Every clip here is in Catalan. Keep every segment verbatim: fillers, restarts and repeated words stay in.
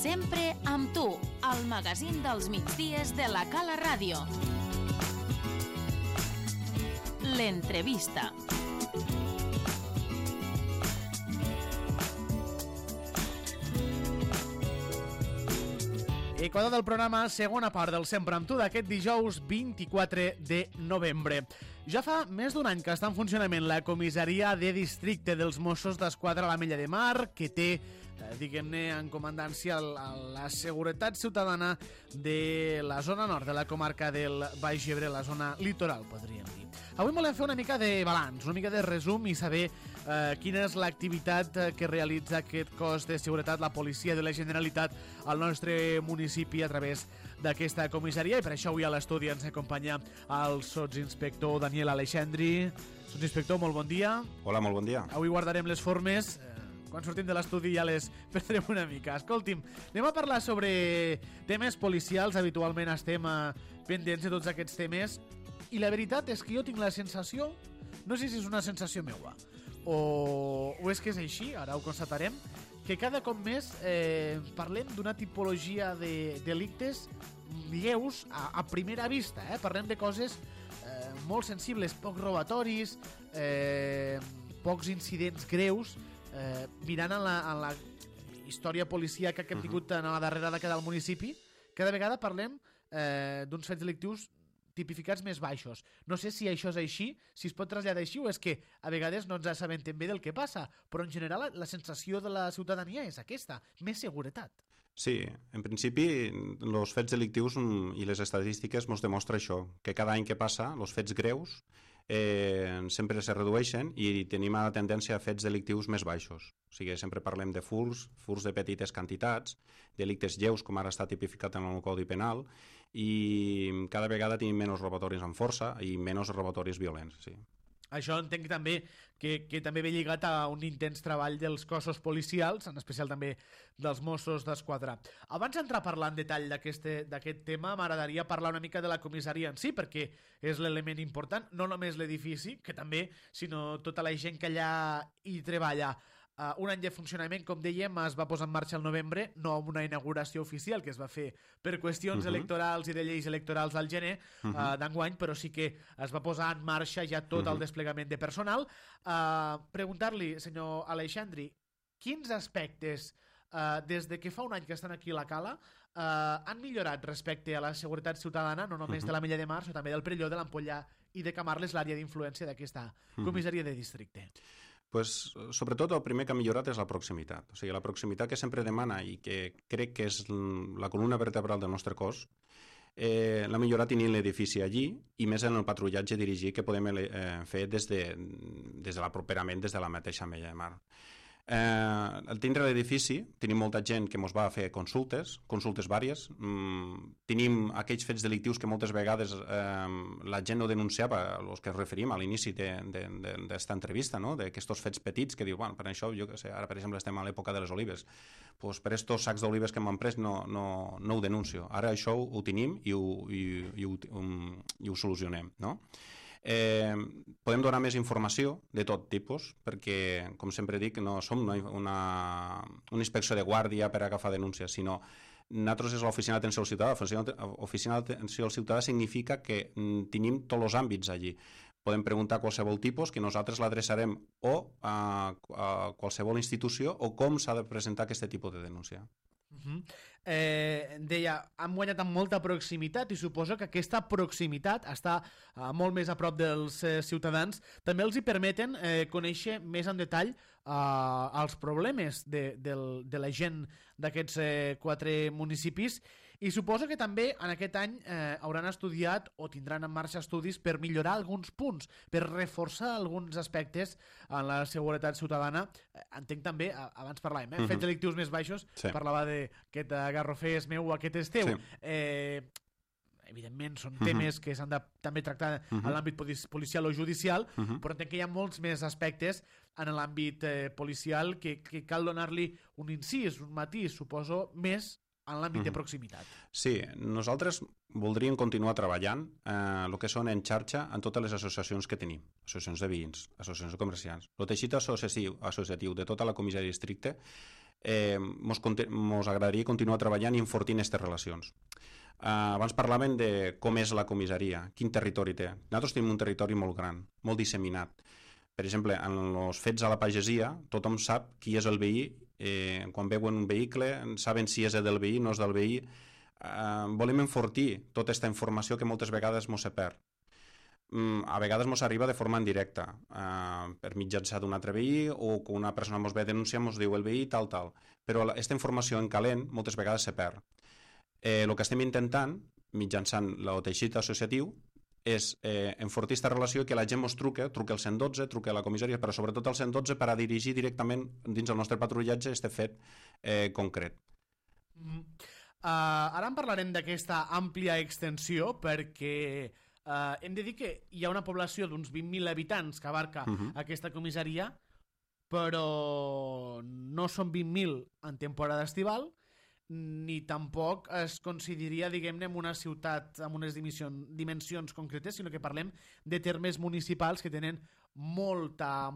Sempre amb tu, al magazín dels migdies de la Cala Ràdio. L'entrevista. Equador del programa, segona part del Sempre amb tu d'aquest dijous vint-i-quatre de novembre. Ja fa més d'un any que està en funcionament la comissaria de districte dels Mossos d'Esquadra a l'Ametlla de Mar, que té, eh, diguem-ne, en comandància la, la seguretat ciutadana de la zona nord de la comarca del Baix Ebre, la zona litoral, podríem dir. Avui volem fer una mica de balanç, una mica de resum i saber eh, quina és l'activitat que realitza aquest cos de seguretat, la policia de la Generalitat, al nostre municipi a través d'aquesta comissaria. I per això avui a l'estudi ens acompanya el sotsinspector Daniel Aleixandri. Sotsinspector, molt bon dia. Hola, molt bon dia. Avui guardarem les formes. Quan sortim de l'estudi ja les perdrem una mica. Escolti'm, anem a parlar sobre temes policials. Habitualment estem pendents de tots aquests temes. I la veritat és que jo tinc la sensació, no sé si és una sensació meua o, o és que és així, ara ho constatarem, que cada cop més eh, parlem d'una tipologia de delictes lleus a, a primera vista, eh? Parlem de coses eh, molt sensibles, pocs robatoris, eh, pocs incidents greus, eh, mirant en la, en la història policíaca que hem tingut en la darrera dècada del municipi. Cada vegada parlem eh, d'uns fets delictius tipificats més baixos. No sé si això és així, si es pot traslladar així, o és que a vegades no ens assabentem bé del que passa, però en general la, la sensació de la ciutadania és aquesta, més seguretat. Sí, en principi els fets delictius i les estadístiques ens demostren això, que cada any que passa, els fets greus eh, sempre se redueixen i tenim la tendència a fets delictius més baixos. O sigui, sempre parlem de furts, furts de petites quantitats, delictes lleus, com ara està tipificat en el Codi Penal, i cada vegada tenim menys robatoris amb força i menys robatoris violents, sí. Això entenc també que, que també ve lligat a un intens treball dels cossos policials, en especial també dels Mossos d'Esquadra. Abans d'entrar a parlar en detall d'aquest tema, m'agradaria parlar una mica de la comissaria en si, perquè és l'element important, no només l'edifici, que també, sinó tota la gent que allà hi treballa. Uh, un any de funcionament, com dèiem, es va posar en marxa el novembre, no amb una inauguració oficial que es va fer per qüestions uh -huh. electorals i de lleis electorals al gener uh -huh. uh, d'enguany, però sí que es va posar en marxa ja tot uh -huh. el desplegament de personal. Uh, preguntar-li, senyor Aleixandri, quins aspectes Uh, des de que fa un any que estan aquí a la Cala uh, han millorat respecte a la seguretat ciutadana, no només uh -huh. de l'Ametlla de Mar, sinó també del Perelló, de l'Ampollà i de Camarles, l'àrea d'influència d'aquesta comissaria de districte? Pues, sobretot el primer que ha millorat és la proximitat. O sigui, la proximitat que sempre demana i que crec que és la columna vertebral del nostre cos, eh, l'ha millorat tenint l'edifici allí i més en el patrullatge dirigit que podem eh, fer des de, des de l'aproperament des de la mateixa Ametlla de Mar. Eh, al tindre l'edifici tenim molta gent que ens va a fer consultes, consultes vàries. Mm, tenim aquells fets delictius que moltes vegades eh, la gent no denunciava, els que es referim a l'inici d'esta entrevista, no? D'aquests fets petits que diu, bueno, per això, jo que sé, ara per exemple estem a l'època de les olives, pues per estos sacs d'olives que m'han pres no, no, no ho denuncio. Ara això ho, ho tenim i ho, i, i, ho, um, i ho solucionem, no? Eh, podem donar més informació de tot tipus, perquè, com sempre dic, no som una, una, una inspecció de guàrdia per agafar denúncies, sinó nosaltres és l'oficina d'atenció al ciutadà. L'oficina d'atenció al ciutadà significa que mm, tenim tots els àmbits allí. Podem preguntar a qualsevol tipus, que nosaltres l'adreçarem o a, a qualsevol institució, o com s'ha de presentar aquest tipus de denúncia. Uh-huh. eh, deia, han guanyat amb molta proximitat i suposo que aquesta proximitat està uh, molt més a prop dels eh, ciutadans, també els hi permeten eh, conèixer més en detall uh, els problemes de, de, de la gent d'aquests eh, quatre municipis, i suposo que també en aquest any eh, hauran estudiat o tindran en marxa estudis per millorar alguns punts, per reforçar alguns aspectes en la seguretat ciutadana. eh, entenc també, abans parlàvem eh? uh-huh. fets delictius més baixos, sí. Parlava de aquest garrofer és meu o aquest és teu. Sí. Eh, evidentment són temes uh-huh. que s'han de també tractar uh-huh. en l'àmbit policial o judicial, uh-huh. però entenc que hi ha molts més aspectes en l'àmbit eh, policial que, que cal donar-li un incís, un matís, suposo, més en l'àmbit uh-huh. de proximitat. Sí, nosaltres voldríem continuar treballant eh, el que són en xarxa en totes les associacions que tenim, associacions de veïns, associacions de comerciants. El teixit associatiu, associatiu de tota la comissaria de districte eh, mos, mos agradaria continuar treballant i enfortint aquestes relacions. Uh, abans parlaven de com és la comissaria, quin territori té. Nosaltres tenim un territori molt gran, molt disseminat. Per exemple, en els fets a la pagesia, tothom sap qui és el veí, eh, quan veuen un vehicle, saben si és del veí, no és del veí. Uh, volem enfortir tota aquesta informació que moltes vegades mos se perd. Mm, a vegades mos arriba de forma indirecta, uh, per mitjançar d'un altre veí, o que una persona mos ve a denunciar, mos diu el veí tal, tal. Però aquesta informació en calent moltes vegades se perd. Eh, el que estem intentant, mitjançant el teixit associatiu, és eh, enfortir aquesta relació i que la gent ens truque, truque al cent dotze, truque a la comissaria, però sobretot al cent dotze per a dirigir directament dins el nostre patrullatge aquest fet eh, concret. Mm. Uh, ara en parlarem d'aquesta àmplia extensió perquè uh, hem de dir que hi ha una població d'uns vint mil habitants que abarca uh-huh. aquesta comissaria, però no són vint mil en temporada estival, ni tampoc es consideraria, diguem-ne, una ciutat amb unes dimensions concretes, sinó que parlem de termes municipals que tenen molta...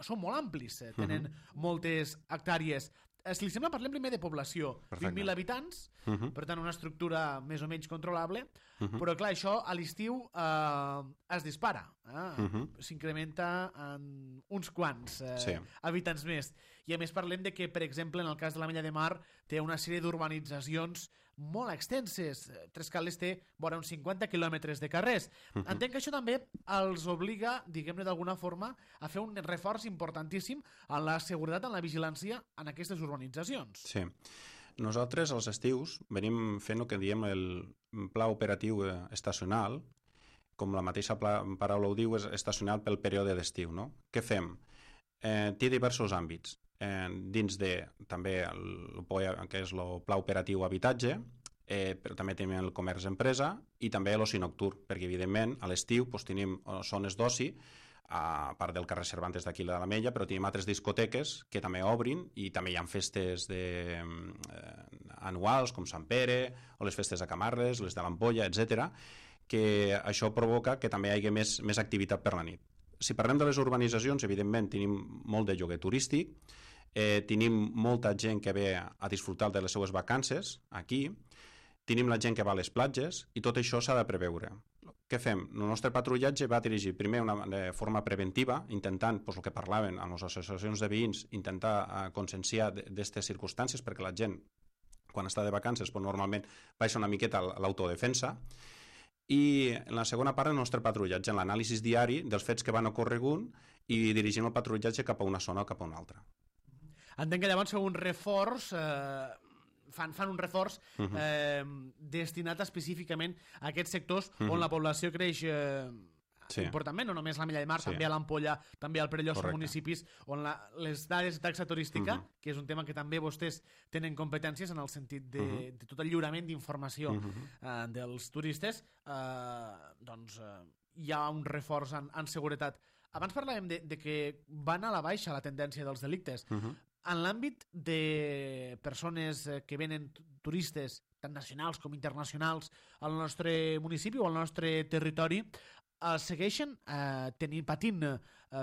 són molt amplis, eh? Tenen uh-huh. moltes hectàrees. Si li sembla, parlem primer de població. Perfecte. vint mil habitants, uh-huh. per tant una estructura més o menys controlable, uh-huh. però clar, això a l'estiu eh, es dispara, eh? uh-huh. s'incrementa en uns quants eh, sí. habitants més. I a més parlem de que, per exemple, en el cas de l'Ametlla de Mar té una sèrie d'urbanitzacions molt extenses. Trescales té vora uns cinquanta quilòmetres de carrers. Uh-huh. Entenc que això també els obliga, diguem-ne d'alguna forma, a fer un reforç importantíssim en la seguretat, en la vigilància en aquestes urbanitzacions. Sí. Nosaltres, als estius, venim fent el que diem el pla operatiu estacional, com la mateixa paraula ho diu, és estacional pel període d'estiu, no? Què fem? Eh, té diversos àmbits. Eh, dins de també el, el que és el pla operatiu habitatge, eh, però també tenim el comerç empresa i també l'oci nocturn, perquè evidentment a l'estiu doncs, tenim zones d'oci, a part del carrer Cervantes d'aquí de l'Ametlla, però tenim altres discoteques que també obrin i també hi ha festes de, eh, anuals com Sant Pere o les festes de Camarles, les de l'Ampolla, etcètera, que això provoca que també hi hagi més, més activitat per la nit. Si parlem de les urbanitzacions, evidentment tenim molt de lloguer turístic, eh, tenim molta gent que ve a disfrutar de les seues vacances aquí, tenim la gent que va a les platges i tot això s'ha de preveure. Què fem? El nostre patrullatge va dirigir primer una, de forma preventiva, intentant, doncs, el que parlaven en les associacions de veïns, intentar uh, conscienciar d'aquestes circumstàncies perquè la gent, quan està de vacances, doncs, normalment baixa una miqueta a l'autodefensa. I en la segona part el nostre patrullatge, en l'anàlisi diari dels fets que van ocorregut i dirigim el patrullatge cap a una zona o cap a una altra. Entenc que llavors un reforç, eh, fan, fan un reforç uh-huh. eh, destinat específicament a aquests sectors uh-huh. on la població creix eh, sí. importantment, no només l'Ametlla de Mar, sí. també a l'Ampolla, també al Perelló, són municipis on la, les dades de taxa turística, uh-huh. que és un tema que també vostès tenen competències en el sentit de, uh-huh. de tot el lliurament d'informació uh-huh. eh, dels turistes, eh, doncs eh, hi ha un reforç en, en seguretat. Abans parlàvem de, de que van a la baixa la tendència dels delictes. Uh-huh. En l'àmbit de persones que venen turistes, tant nacionals com internacionals, al nostre municipi o al nostre territori, eh, segueixen eh, tenint, patint eh,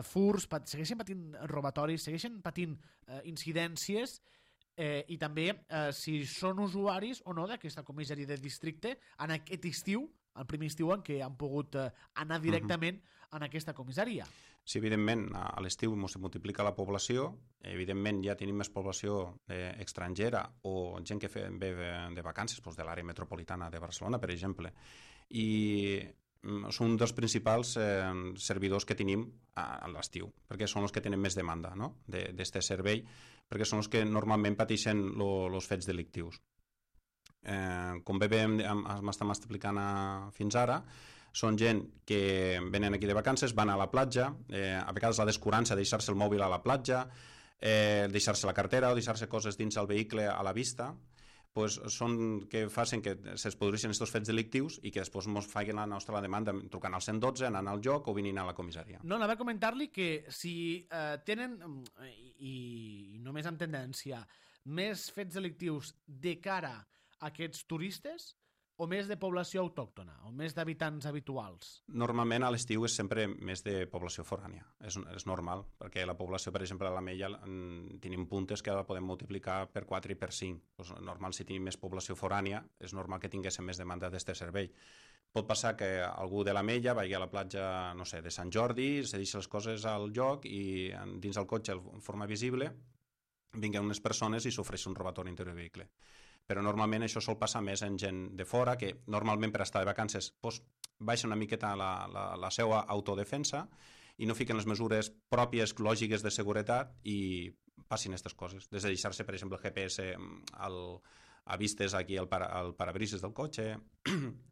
furs, pat, segueixen patint robatoris, segueixen patint eh, incidències eh, i també eh, si són usuaris o no d'aquesta comissaria de districte en aquest estiu, el primer estiu en què han pogut eh, anar directament uh-huh. en aquesta comissaria. Sí, evidentment, a l'estiu es multiplica la població, evidentment ja tenim més població eh, estrangera o gent que fe, ve de vacances doncs, de l'àrea metropolitana de Barcelona, per exemple, i són un dels principals eh, servidors que tenim a, a l'estiu, perquè són els que tenen més demanda no? d'aquest servei, perquè són els que normalment pateixen els fets delictius. Eh, com bé m'estem explicant a, fins ara, són gent que venen aquí de vacances, van a la platja, eh, a vegades la descurança de deixar-se el mòbil a la platja, eh, deixar-se la cartera o deixar-se coses dins el vehicle a la vista, pues són que facin que es produeixin aquests fets delictius i que després ens facin la nostra demanda trucant al cent dotze, anant al lloc o venint a la comissaria. No, anava a comentar-li que si eh, tenen, i, i només amb tendència, més fets delictius de cara a aquests turistes, o més de població autòctona, o més d'habitants habituals? Normalment a l'estiu és sempre més de població forània, és, és normal, perquè la població, per exemple, a l'Ametlla tenim puntes que la podem multiplicar per quatre i per cinc. Pues, normal, si tenim més població forània, és normal que tinguéssim més demanda d'este servei. Pot passar que algú de l'Ametlla vagi a la platja, no sé, de Sant Jordi, se deixa les coses al lloc i dins el cotxe, en forma visible, vinguen unes persones i s'ofereix un robatori interior de vehicle. Però normalment això sol passar més en gent de fora, que normalment per estar de vacances pues, baixa una miqueta la, la, la seva autodefensa i no fiquen les mesures pròpies, lògiques de seguretat i passin aquestes coses. Des de deixar-se, per exemple, el G P S al, a vistes aquí al, para, al parabrises del cotxe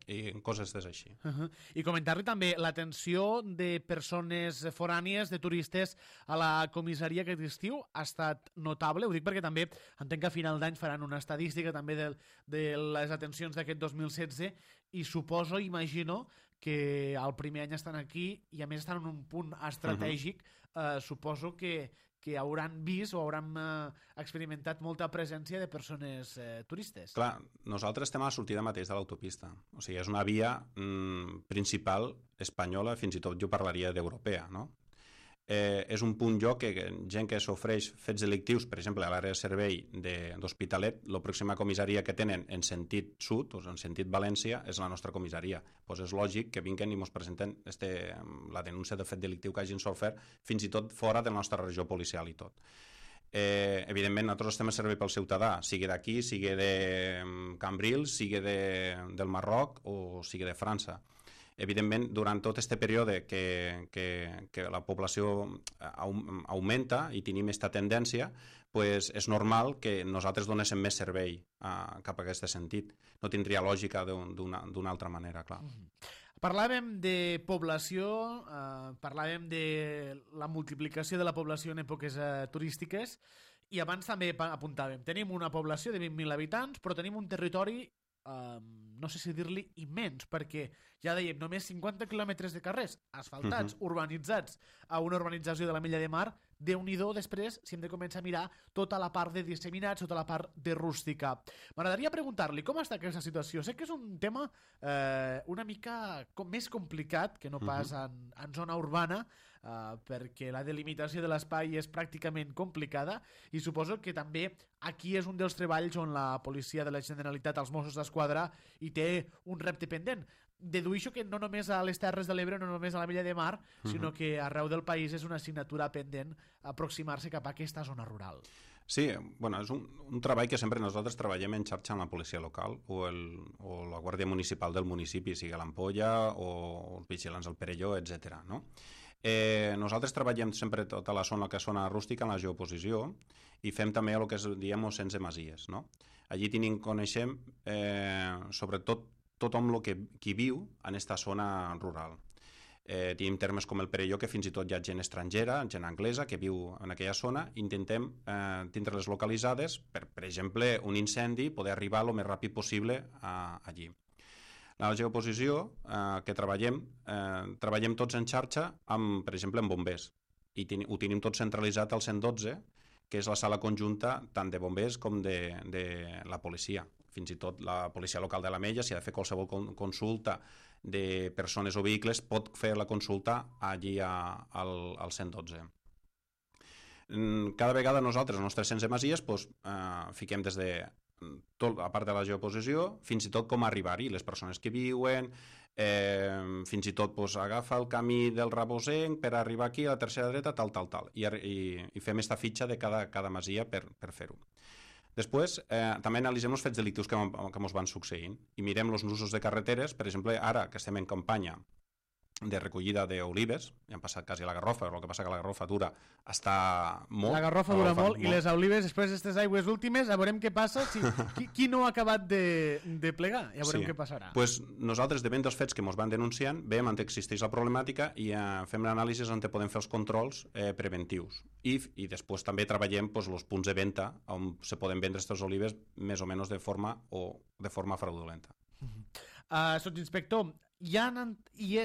i coses des així. Uh -huh. I comentar-li també l'atenció de persones forànies, de turistes a la comissaria aquest estiu ha estat notable. Ho dic perquè també entenc que a final d'any faran una estadística també de, de les atencions d'aquest dos mil setze i suposo, imagino, que el primer any estan aquí i a més estan en un punt estratègic. Uh -huh. eh, suposo que que hauran vist o hauran eh, experimentat molta presència de persones eh, turistes. Clar, nosaltres estem a la sortida mateix de l'autopista. O sigui, és una via mm, principal espanyola, fins i tot jo parlaria d'europea, no? Eh, és un punt lloc que gent que s'ofreix fets delictius, per exemple, a l'àrea de servei d'Hospitalet, la pròxima comissaria que tenen en sentit sud, o en sentit València, és la nostra comissaria. Pues és lògic que vinguen i ens presenten este, la denúncia de fet delictiu que hagin sofert, fins i tot fora de la nostra regió policial i tot. Eh, evidentment, nosaltres estem a servei pel ciutadà, sigui d'aquí, sigui de Cambrils, sigui de, del Marroc o sigui de França. Evidentment, durant tot aquest període que, que, que la població augmenta i tenim aquesta tendència, pues és normal que nosaltres donéssim més servei a, cap a aquest sentit. No tindria lògica d'una altra manera, clar. Mm-hmm. Parlàvem de població, eh, parlàvem de la multiplicació de la població en èpoques eh, turístiques i abans també apuntàvem, tenim una població de vint mil habitants, però tenim un territori Um, no sé si dir-li immens, perquè ja dèiem, només cinquanta quilòmetres de carrers asfaltats, uh-huh. urbanitzats a una urbanització de l'Ametlla de Mar. Déu-n'hi-do després si hem de començar a mirar tota la part de disseminats, tota la part de rústica. M'agradaria preguntar-li com està aquesta situació. Sé que és un tema eh, una mica com més complicat que no pas uh-huh. en, en zona urbana, Uh, perquè la delimitació de l'espai és pràcticament complicada i suposo que també aquí és un dels treballs on la policia de la Generalitat, els Mossos d'Esquadra, hi té un repte pendent. Dedueixo que no només a les Terres de l'Ebre, no només a l'Ametlla de Mar, uh-huh. sinó que arreu del país és una assignatura pendent aproximar-se cap a aquesta zona rural. Sí, bueno, és un, un treball que sempre nosaltres treballem en xarxa amb la policia local o, el, o la Guàrdia Municipal del municipi, sigui l'Ampolla o els vigilants del Perelló, etcètera, no? Eh, nosaltres treballem sempre tota la zona que és zona rústica en la geoposició i fem també el que es diem sense masies, no? Allí tenim, coneixem eh, sobretot tothom lo que, qui viu en aquesta zona rural. Eh, tenim termes com el Perelló, que fins i tot hi ha gent estrangera, gent anglesa, que viu en aquella zona. Intentem eh, tindre-les localitzades per, per exemple, un incendi, poder arribar el més ràpid possible a, allí. La geoposició eh, que treballem, eh, treballem tots en xarxa, amb, per exemple, amb bombers. I ten, ho tenim tot centralitzat al cent dotze, que és la sala conjunta tant de bombers com de, de la policia. Fins i tot la policia local de l'Ametlla, si ha de fer qualsevol consulta de persones o vehicles, pot fer la consulta allí a, al, al cent dotze. Cada vegada nosaltres, els nostres sense masies, doncs, eh, fiquem des de tot, a part de la geoposició, fins i tot com arribar-hi, les persones que viuen, eh, fins i tot doncs, agafa el camí del Rabosenc per arribar aquí a la tercera dreta, tal, tal, tal, i, i, i fem aquesta fitxa de cada, cada masia per, per fer-ho. Després, eh, també analitzem els fets delictius que, que ens van succeint i mirem els nusos de carreteres. Per exemple, ara que estem en campanya de recollida d'olives, ja han passat quasi a la garrofa, però el que passa que la garrofa dura està molt. La garrofa dura molt, molt i les olives, després d'aquestes aigües últimes, ja veurem què passa, si, qui, qui no ha acabat de, de plegar, ja veurem sí. què passarà. Pues nosaltres, depèn dels fets que ens van denunciant, veiem on existeix la problemàtica i eh, fem l'anàlisi on podem fer els controls eh, preventius. I, i després també treballem pues, els punts de venda on se poden vendre aquestes olives més o menys de forma o de forma fraudulenta. Uh, Sotsinspector, hi ha, hi ha,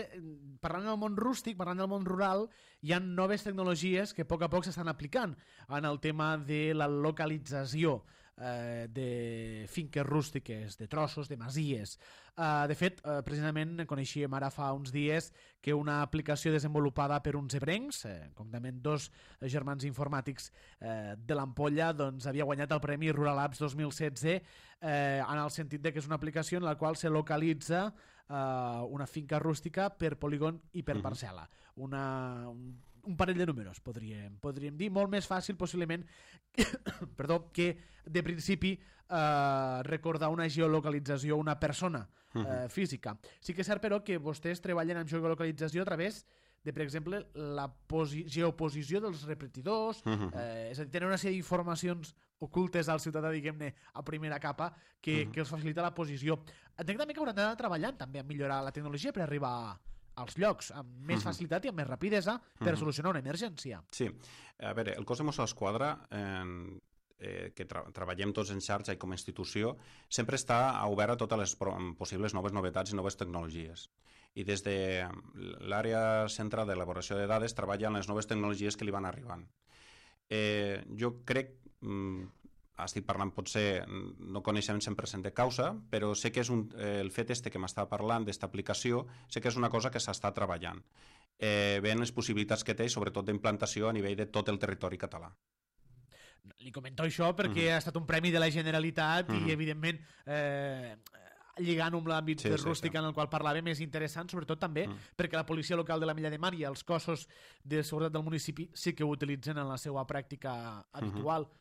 parlant del món rústic, parlant del món rural, hi ha noves tecnologies que a poc a poc s'estan aplicant en el tema de la localització. eh, de finques rústiques, de trossos, de masies. Eh, de fet, eh, precisament coneixíem ara fa uns dies que una aplicació desenvolupada per uns ebrencs, eh, concretament dos germans informàtics eh, de l'Ampolla, doncs havia guanyat el Premi Rural Apps dos mil setze eh, en el sentit de que és una aplicació en la qual se localitza eh, una finca rústica per polígon i per parcel·la. Una, un, un parell de números, podríem, podríem dir, molt més fàcil possiblement perdó, que de principi eh, recordar una geolocalització, una persona eh, física. Sí que és cert, però, que vostès treballen amb geolocalització a través de, per exemple, la geoposició dels repetidors, eh, és a dir, tenen una sèrie d'informacions ocultes al ciutadà, diguem-ne, a primera capa, que, que els facilita la posició. Entenc també que hauran d'anar treballant també a millorar la tecnologia per arribar als llocs amb més facilitat i amb més rapidesa per solucionar una emergència. Sí, a veure, el cos de Mossos d'Esquadra, eh, eh, que tra treballem tots en xarxa i com a institució, sempre està obert a totes les possibles noves novetats i noves tecnologies. I des de l'àrea central d'elaboració de dades treballa en les noves tecnologies que li van arribant. Eh, jo crec... Mm, estic parlant, potser no coneixem cent per cent de causa, però sé que és un, eh, el fet este que m'està parlant d'esta aplicació, sé que és una cosa que s'està treballant. Eh, veient les possibilitats que té, sobretot d'implantació a nivell de tot el territori català. Li comento això perquè uh-huh. ha estat un premi de la Generalitat uh-huh. i, evidentment, eh, lligant amb l'àmbit sí, rústic sí, sí. en el qual parlàvem és interessant, sobretot també uh-huh. perquè la policia local de la Mella de Mar i els cossos de seguretat del municipi sí que ho utilitzen en la seva pràctica habitual. Uh-huh.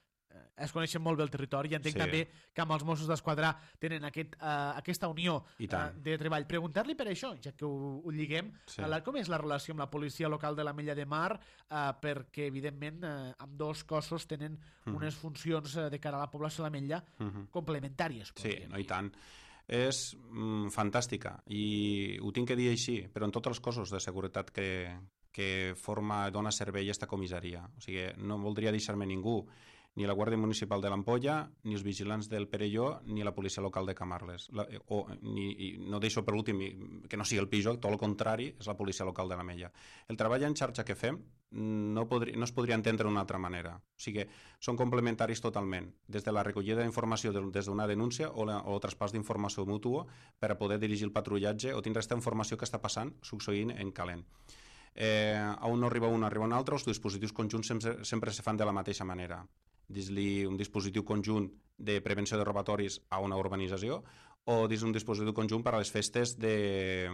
Es coneixen molt bé el territori i entenc sí. també que amb els Mossos d'Esquadra tenen aquest, uh, aquesta unió uh, de treball. Preguntar-li per això, ja que ho, ho lliguem, sí. uh, com és la relació amb la policia local de la Mella de Mar, uh, perquè evidentment uh, amb dos cossos tenen uh-huh. unes funcions uh, de cara a la població de la Mella uh-huh. complementàries. Sí, no, i tant. És mm, fantàstica i ho tinc que dir així, però en tots els cossos de seguretat que, que forma, dona servei a esta comissaria. O sigui, no voldria deixar-me ningú, ni la Guàrdia Municipal de l'Ampolla, ni els vigilants del Perelló, ni la policia local de Camarles. La, o, ni, i no deixo per l'últim que no sigui el Pijok, tot el contrari, és la policia local de la Mella. El treball en xarxa que fem no, podri, no es podria entendre d'una altra manera. O sigui, són complementaris totalment, des de la recollida d'informació de, des d'una denúncia o, la, o el traspàs d'informació mútua per a poder dirigir el patrullatge o tindre aquesta informació que està passant, succeint en calent. Eh, a un no arriba un, arriba un altre, els dispositius conjunts sempre, sempre se fan de la mateixa manera. Dins-li un dispositiu conjunt de prevenció de robatoris a una urbanització o dins un dispositiu conjunt per a les festes de,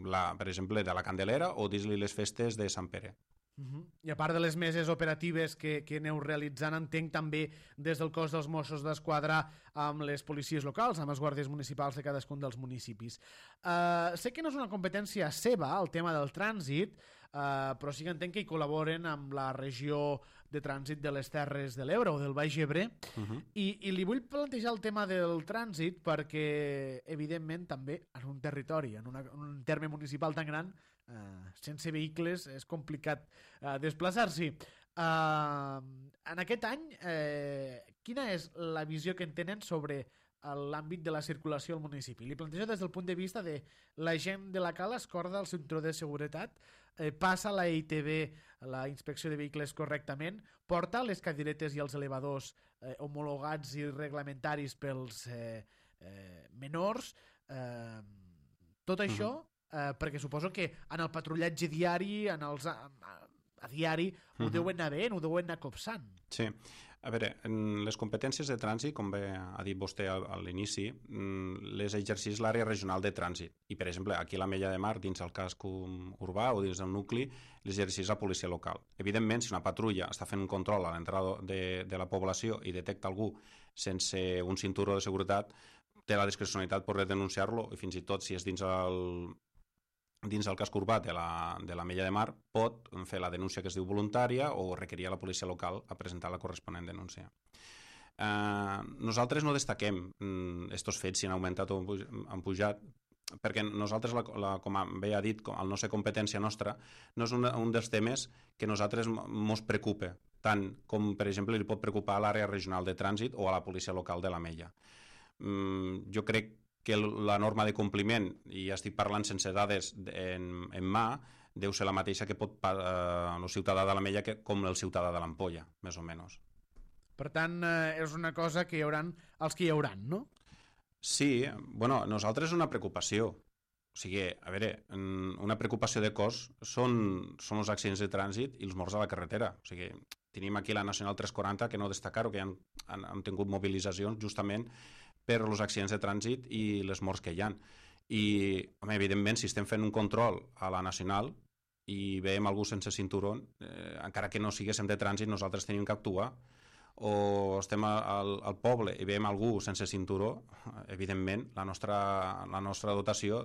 la, per exemple, de la Candelera o dins-li les festes de Sant Pere. Uh-huh. I a part de les meses operatives que, que aneu realitzant, entenc també des del cos dels Mossos d'Esquadra amb les policies locals, amb els guàrdies municipals de cadascun dels municipis. Uh, sé que no és una competència seva el tema del trànsit, uh, però sí que entenc que hi col·laboren amb la regió de trànsit de les Terres de l'Ebre o del Baix Ebre uh-huh. I, i li vull plantejar el tema del trànsit perquè evidentment també en un territori, en, una, en un terme municipal tan gran, eh, sense vehicles és complicat eh, desplaçar-s'hi. Eh, en aquest any eh, quina és la visió que en tenen sobre l'àmbit de la circulació al municipi? Li plantejo des del punt de vista de la gent de la Cala es corda el cinturó de seguretat, eh, passa la I T V, la inspecció de vehicles correctament, porta les cadiretes i els elevadors eh, homologats i reglamentaris pels eh, eh, menors, eh, tot això eh, perquè suposo que en el patrullatge diari, en els, a, a diari, ho uh-huh. deuen anar veient, ho deuen anar copsant. Sí. A veure, en les competències de trànsit, com bé ha dit vostè a l'inici, les exerceix l'àrea regional de trànsit. I, per exemple, aquí a la Mella de Mar, dins el casc urbà o dins del nucli, l'exerceix la policia local. Evidentment, si una patrulla està fent un control a l'entrada de, de la població i detecta algú sense un cinturó de seguretat, té la discrecionalitat per denunciar-lo i fins i tot, si és dins el... dins el casc urbà de la, de la Mella de Mar, pot fer la denúncia que es diu voluntària o requerir a la policia local a presentar la corresponent denúncia. Eh, nosaltres no destaquem estos fets si han augmentat o han pujat, perquè nosaltres, la, la, com bé ha dit, el no ser competència nostra, no és un, un dels temes que nosaltres mos preocupa, tant com, per exemple, li pot preocupar a l'àrea regional de trànsit o a la policia local de la Mella. Mm, jo crec que la norma de compliment, i estic parlant sense dades en, en mà, deu ser la mateixa que pot eh, el ciutadà de la Mella que, com el ciutadà de l'Ampolla, més o menys. Per tant, eh, és una cosa que hi haurà els que hi hauran, no? Sí, bueno, nosaltres és una preocupació. O sigui, a veure, una preocupació de cos són, són els accidents de trànsit i els morts a la carretera. O sigui, tenim aquí la Nacional tres quaranta, que no destacar-ho, que han, han, han tingut mobilitzacions justament per els accidents de trànsit i les morts que hi ha. I, home, evidentment, si estem fent un control a la Nacional i veiem algú sense cinturó, eh, encara que no siguéssim de trànsit, nosaltres tenim que actuar. O estem al, al poble i veiem algú sense cinturó, evidentment, la nostra, la nostra dotació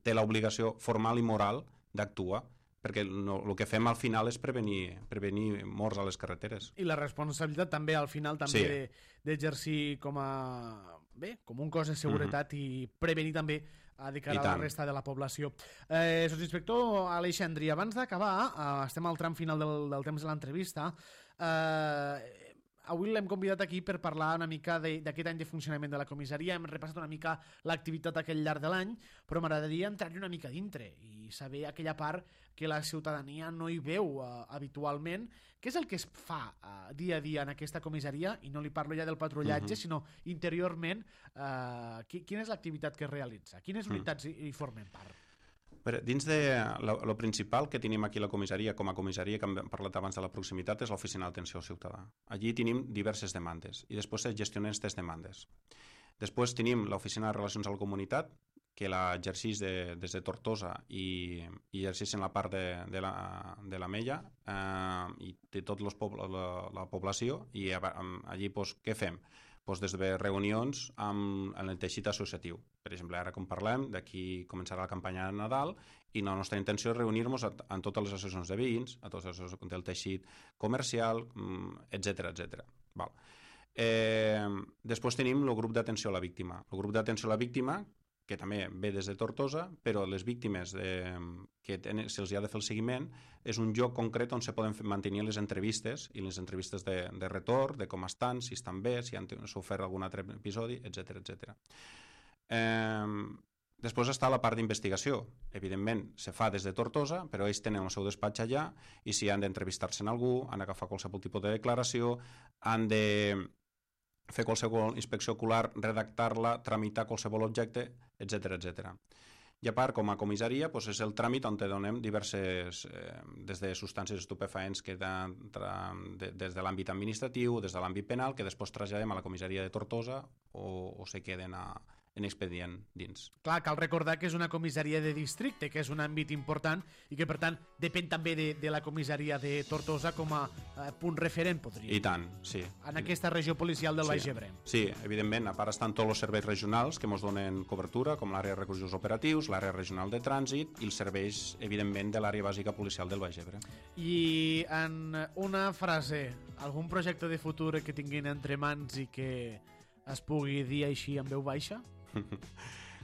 té l'obligació formal i moral d'actuar, perquè no, el que fem al final és prevenir, prevenir morts a les carreteres. I la responsabilitat també, al final, també Sí. de- d'exercir com a bé, com un cos de seguretat uh -huh. i prevenir també a de cara I a la tant. resta de la població. Eh, Sotsinspector Aleixandri, abans d'acabar, eh, estem al tram final del, del temps de l'entrevista, eh, avui l'hem convidat aquí per parlar una mica de- d'aquest any de funcionament de la comissaria. Hem repassat una mica l'activitat aquell llarg de l'any, però m'agradaria entrar-hi una mica dintre i saber aquella part que la ciutadania no hi veu uh, habitualment. Què és el que es fa uh, dia a dia en aquesta comissaria? I no li parlo ja del patrullatge, uh -huh. sinó interiorment, uh, qui, quina és l'activitat que es realitza? Quines unitats uh -huh. hi, hi formen part? Però dins de lo principal que tenim aquí a la comissaria, com a comissaria que hem parlat abans de la proximitat, és l'oficina d'atenció al ciutadà. Allí tenim diverses demandes i després es gestionen aquestes demandes. Després tenim l'oficina de relacions a la comunitat, que l'exerceix de, des de Tortosa i, i exerceix en la part de, de, la, de la Mella eh, i de tota la, la població, i allí pues, què fem? Pues des de reunions amb, amb el teixit associatiu. Per exemple, ara com parlem, d'aquí començarà la campanya de Nadal i la nostra intenció és reunir-nos en totes les associacions de veïns, a totes les associacions del teixit comercial, etcètera, etcètera. Val. Eh, després tenim el grup d'atenció a la víctima. El grup d'atenció a la víctima, que també ve des de Tortosa, però les víctimes de, que se'ls ha de fer el seguiment, és un lloc concret on se poden mantenir les entrevistes i les entrevistes de, de retorn, de com estan, si estan bé, si han sofert algun altre episodi, etcètera, etcètera. Eh, després està la part d'investigació. Evidentment, se fa des de Tortosa, però ells tenen el seu despatx allà i si han d'entrevistar-se en algú, han d'agafar qualsevol tipus de declaració, han de fer qualsevol inspecció ocular, redactar-la, tramitar qualsevol objecte, etcètera, etcètera. I a part, com a comissaria, doncs és el tràmit on te donem diverses, eh, des de substàncies estupefaents que de, de, des de l'àmbit administratiu, des de l'àmbit penal, que després traslladem a la comissaria de Tortosa o, o se queden a, en expedient dins. Clar, cal recordar que és una comissaria de districte, que és un àmbit important i que, per tant, depèn també de, de la comissaria de Tortosa com a eh, punt referent, podria dir. I tant, sí. En aquesta regió policial del sí. Baix Ebre. Sí, evidentment, a part estan tots els serveis regionals que ens donen cobertura, com l'àrea de recursos operatius, l'àrea regional de trànsit i els serveis, evidentment, de l'àrea bàsica policial del Baix Ebre. I en una frase, algun projecte de futur que tinguin entre mans i que es pugui dir així en veu baixa?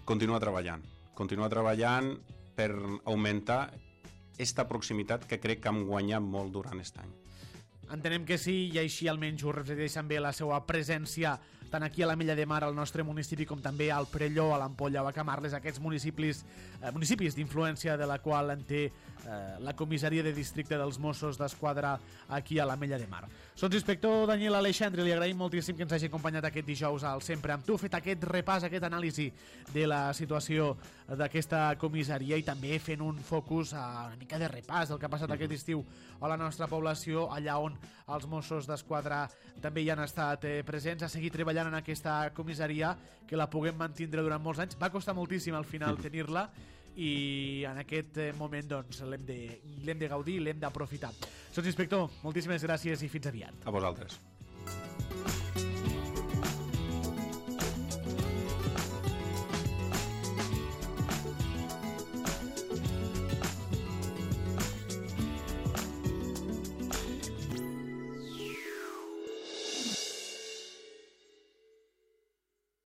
Continua treballant. Continua treballant per augmentar aquesta proximitat que crec que hem guanyat molt durant aquest any. Entenem que sí, i així almenys ho reflecteixen bé la seva presència tant aquí a la Mella de Mar, al nostre municipi, com també al Perelló, a l'Ampolla o a Camarles, aquests municipis eh, municipis d'influència de la qual en té eh, la comissaria de districte dels Mossos d'Esquadra aquí a la Mella de Mar. Sotsinspector Daniel Aleixandri, li agraïm moltíssim que ens hagi acompanyat aquest dijous al Sempre amb tu, fet aquest repàs, aquest anàlisi de la situació d'aquesta comissaria i també fent un focus a una mica de repàs del que ha passat aquest estiu a la nostra població, allà on els Mossos d'Esquadra també hi han estat eh, presents, a seguir treballant en aquesta comissaria, que la puguem mantindre durant molts anys. Va costar moltíssim al final tenir-la i en aquest moment doncs l'hem de, l'hem de gaudir i l'hem d'aprofitar. Sotsinspector, moltíssimes gràcies i fins aviat. A vosaltres.